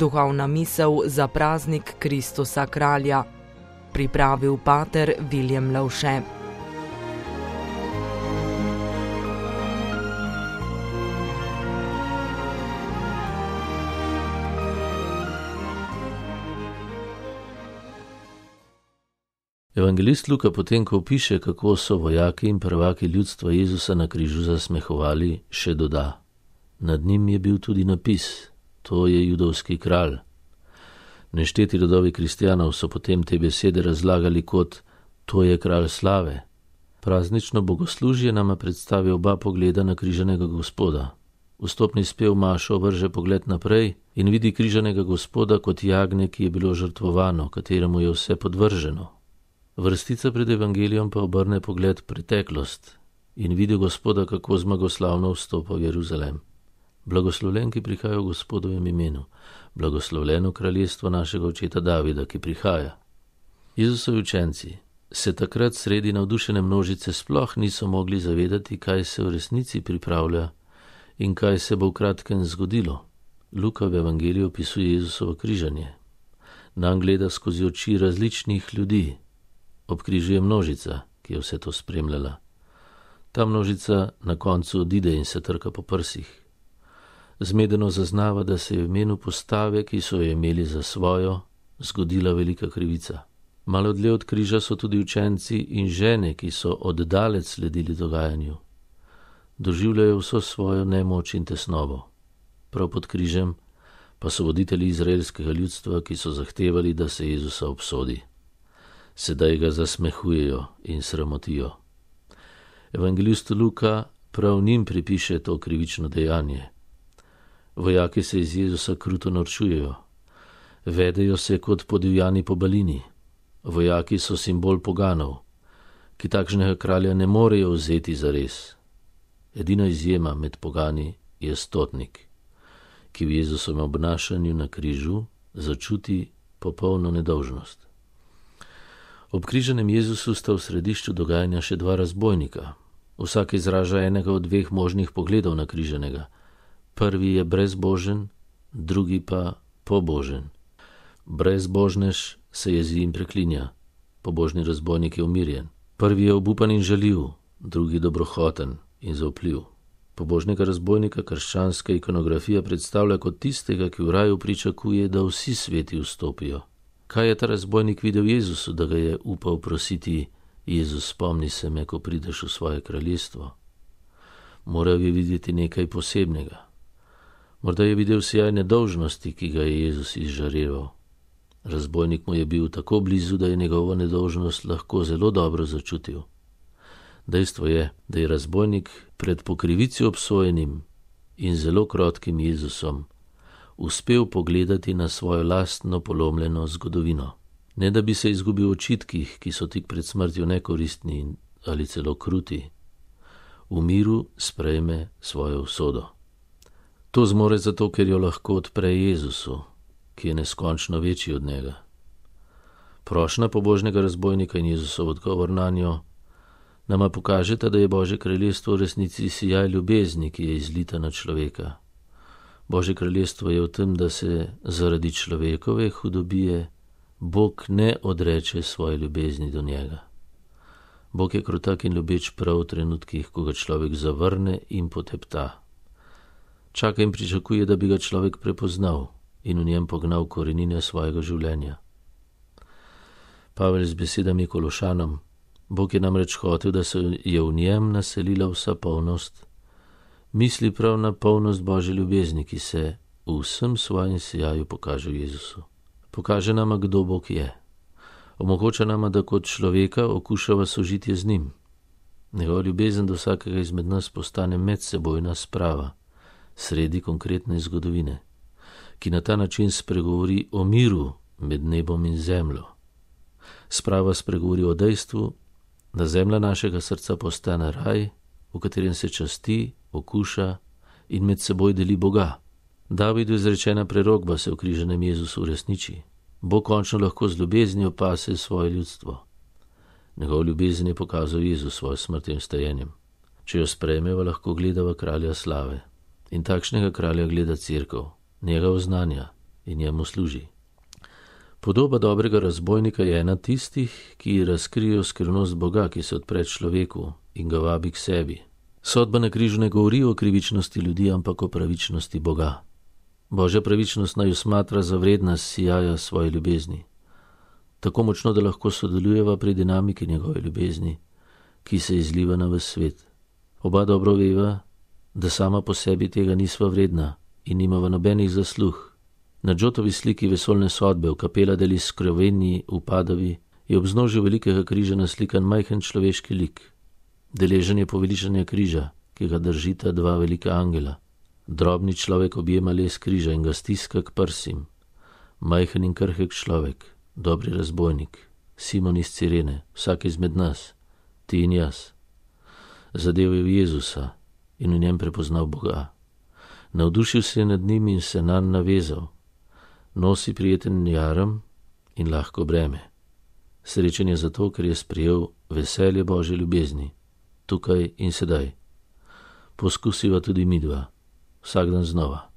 Duhovna misel za praznik Kristusa kralja. Pripravil pater Viljem Lavše. Evangelist Luka potem, ko opiše, kako so vojaki in prvaki ljudstva Jezusa na križu zasmehovali, še doda: nad njim je bil tudi napis: to je judovski kralj. Nešteti rodovi kristjanov so potem te besede razlagali kot: to je kralj slave. Praznično bogoslužje nama predstavi oba pogleda na križanega Gospoda. Vstopni spev mašo vrže pogled naprej in vidi križanega Gospoda kot jagnje, ki je bilo žrtvovano, kateremu je vse podvrženo. Vrstica pred evangelijom pa obrne pogled preteklost in vidi Gospoda, kako zmagoslavno vstopa v Jeruzalem. Blagoslovljen, ki prihaja v Gospodovem imenu, blagoslovljeno kraljestvo našega očeta Davida, ki prihaja. Jezusovi učenci se takrat sredi navdušene množice sploh niso mogli zavedati, kaj se v resnici pripravlja in kaj se bo v kratkem zgodilo. Luka v evangeliju opisuje Jezusovo križanje. Nam gleda skozi oči različnih ljudi. Ob križu je množica, ki je vse to spremljala. Ta množica na koncu odide in se trka po prsih. Zmedeno zaznava, da se je v imenu postave, ki so jo imeli za svojo, zgodila velika krivica. Malo dlje od križa so tudi učenci in žene, ki so oddalec sledili dogajanju. Doživljajo vso svojo nemoč in tesnobo. Prav pod križem pa so voditelji izraelskega ljudstva, ki so zahtevali, da se Jezusa obsodi. Sedaj ga zasmehujejo in sramotijo. Evangelist Luka prav njim pripiše to krivično dejanje. Vojaki se iz Jezusa kruto norčujejo. Vedejo se kot podivjani pobalini. Vojaki so simbol poganov, ki takšnega kralja ne morejo vzeti zares. Edina izjema med pogani je stotnik, ki v Jezusovem obnašanju na križu začuti popolno nedolžnost. Ob križanem Jezusu sta v središču dogajanja še dva razbojnika. Vsak izraža enega od dveh možnih pogledov na križanega. Prvi je brezbožen, drugi pa pobožen. Brezbožnež se jezi in preklinja, pobožni razbojnik je umirjen. Prvi je obupan in žaljiv, drugi dobrohoten in zaupljiv. Pobožnega razbojnika krščanska ikonografija predstavlja kot tistega, ki v raju pričakuje, da vsi sveti vstopijo. Kaj je ta razbojnik videl Jezusu, da ga je upal prositi: Jezus, spomni se me, ko prideš v svoje kraljestvo? Moral je videti nekaj posebnega. Morda je videl sijaj nedolžnosti, ki ga je Jezus izžareval. Razbojnik mu je bil tako blizu, da je njegovo nedolžnost lahko zelo dobro začutil. Dejstvo je, da je razbojnik pred po krivici obsojenim in zelo krotkim Jezusom uspel pogledati na svojo lastno polomljeno zgodovino. Ne da bi se izgubil v očitkih, ki so tik pred smrtjo nekoristni ali celo kruti. V miru sprejme svojo usodo. To zmore zato, ker jo lahko odpre Jezusu, ki je neskončno večji od njega. Prošnja pobožnega razbojnika in Jezusov odgovor nanjo nama pokažeta, da je Božje kraljestvo v resnici sijaj ljubezni, ki je izlita na človeka. Božje kraljestvo je v tem, da se zaradi človekove hudobije Bog ne odreče svoje ljubezni do njega. Bog je krutak in ljubeč prav v trenutkih, ko ga človek zavrne in potepta. Čaka in pričakuje, da bi ga človek prepoznal in v njem pognal korenine svojega življenja. Pavel z besedami Kološanom: Bog je namreč hotel, da se je v njem naselila vsa polnost, misli prav na polnost Božje ljubezni, ki se v vsem svojem sijaju pokaže v Jezusu. Pokaže nama, kdo Bog je. Omogoča nama, da kot človeka okušava sožitje z njim. Njegova ljubezen do vsakega izmed nas postane medsebojna sprava sredi konkretne zgodovine, ki na ta način spregovori o miru med nebom in zemljo. Sprava spregovori o dejstvu, da zemlja našega srca postane raj, v katerem se časti, okuša in med seboj deli Boga. Davidu izrečena prerokba se v križanem Jezusu uresniči. Bog končno lahko z ljubeznijo pase svoje ljudstvo. Njegov ljubezen je pokazal Jezus svojo smrtjo in stajenjem. Če jo sprejmeva, lahko gledava kralja slave. In takšnega kralja gleda cerkev, njega oznanja in njemu služi. Podoba dobrega razbojnika je ena tistih, ki razkrijejo skrivnost Boga, ki se odpre človeku in ga vabi k sebi. Sodba na križu ne govori o krivičnosti ljudi, ampak o pravičnosti Boga. Božja pravičnost naj smatra za vredna sijaja svoje ljubezni. Tako močno, da lahko sodelujeva pri dinamiki njegove ljubezni, ki se izliva na ves svet. Oba dobro veva, da sama po sebi tega nisva vredna in nimava nobenih zasluh. Na Džotovi sliki vesoljne sodbe v kapela deli skrovenji v Padovi je ob vznožju velikega križa naslikan majhen človeški lik. Deležen je poveličanja križa, ki ga držita dva velika angela. Drobni človek objema les križa in ga stiska k prsim. Majhen in krhek človek, dobri razbojnik, Simon iz Cirene, vsak izmed nas, ti in jaz. Zadev je v Jezusa in v njem prepoznal Boga. Navdušil se je nad njim in se nanj navezal. Nosi prijeten jarem in lahko breme. Srečen je zato, ker je sprejel veselje Božje ljubezni, tukaj in sedaj. Poskusiva tudi midva, vsak dan znova.